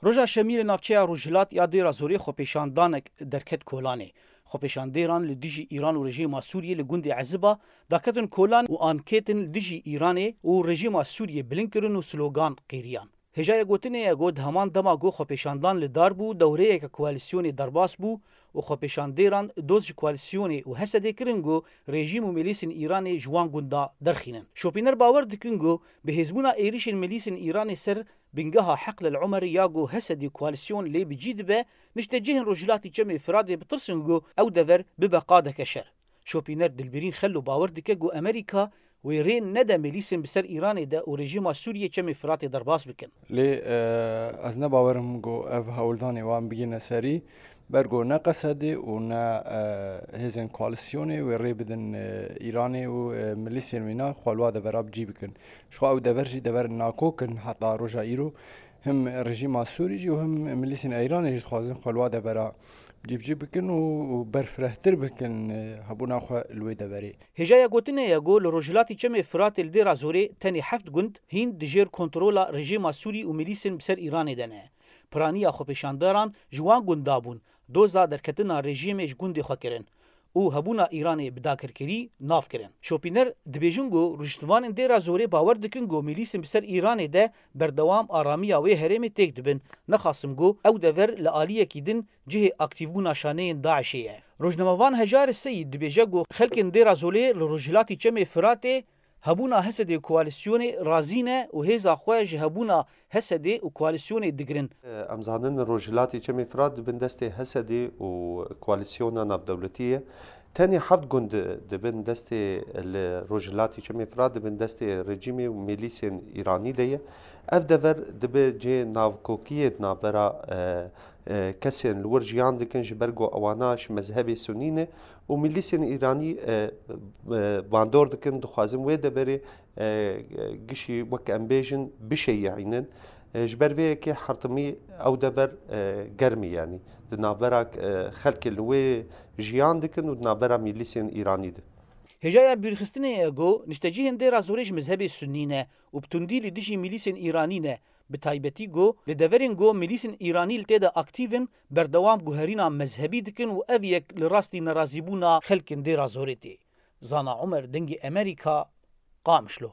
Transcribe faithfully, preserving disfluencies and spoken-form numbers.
Roja Şemî li navçeya Rojhilat ya Dêra Zorê xwepêşandanek derket Kolanê. Xwepêşandêran li dijî Îran û rejîma Sûriyê li gundê Eziba daketin Kolan û ankêtin li dijî Îranê û rejîma Sûriyê bilind kirin û slogan qêriyan. Hêjaya gotinê ye ku di heman dema ku xwepêşandan li dar bû, dewreyeke koalîsyonê derbas bû û xwepêşandêran doz ji koalîsyonê û Hesedê kirin ku rejîm û milîsên Îranê ji wan gunda derxînin. Şopîner bawer dikin ku bi hêzbûna êrişên milîsên Îranê ser bingeha Heql el Omer ya ku Hesedê koalîsyon lê bi cî dibe, niştecihên Rojhilatî Çemê Firatê bitirsin ku ew dever bibe qadeke şer. Şopîner Dilbirîn Xello bawer dike ku Amerîka wê rê nede milîsên bi ser Îranê de û rejîma Sûriyê Çemê Firatê derbas bikin. Lê, e, ez ne bawer im ku ev hewldanê wan bigihine serî, ber ku ne Qesedê û ne, e, hêzên koalîsyonê wê rê bidin, e, Îranê û, e, milîsên wîna xwe li wa devera bi cî bikin. Ji xwe ew dever jî dever nakok in heta roja îro. Him rejîma Sûrî jî û him milîsên Îranê jî dixwazin xwe li wa devera cîbicî bikin û, û berfirehtir bikin, e, hebûna xwe li wê deverê. Hêjaya gotinê ye ku li Rojhilatî Çemê Firatê li Dêra Zorê tenê heft gund hîn di jêr kontrola rejîma Sûrî û milîsên bi ser Îranê de ne. Piraniya xwepêşandaran ji wan gunda bûn, doza derketina rejîmê ji gundê xwe kirin û hebûna Îranê bi dagirkerî nav kirin. Şopîner dibêjin ku rûştivanên Dêra Zorê bawer dikin ku milîsên bi ser Îranê de berdewam aramiya wê herêmê têk dibin, nexasim ku ew dever li aliyekî din cihê aktîvbûna şaneyên DAIŞê ye. Rojnamevan Hejar Seyîd dibêje ku xelkên Dêra Zorê li rojhilatî Çemê Firatê hebûna Hesedê û koalîsyonê razî ne û hêza xwe ji hebûna Hesedê û koalîsyonê digirin. Em zanin rojhilatî Çemê Firat di bin destê Hesedê û koalîsyona navdewletî ye. Tenê heft gund di bin destê, li rojhilatî Çemê Firat di bin destê rejîmê û milîsên Îranî de ye. Ev dever dibe cihê navkokiyê di navbera, e, e, kesên li wir jiyan dikin, ji ber ku ewana ji mezhebê sunî ne û milîsên Îranî, e, e, bandor dikin, dixwazin wê deverê, e, gişî, wek em bêjin, bişeyîînin. E, ji ber vê yekê hertimî ew dever, e, germ e, yanî di navbera, e, xelkê li wê jiyan dikin û di navbera milîsên Îranî de. Hêjaya bîrxistinê ye ku niştecihên Dêra Zorê ji mezhebê sunî ne û bi tundî li dijî milîsên Îranî ne, bi taybetî ku li deverên ku milîsên Îranî li tê de aktîv in, berdewam guherîna mezhebî dikin û ev yek li rastî nerazîbûna xelkên Dêra Zorê tê. Zana Omer, Dengê Amerîka, Qamişlo.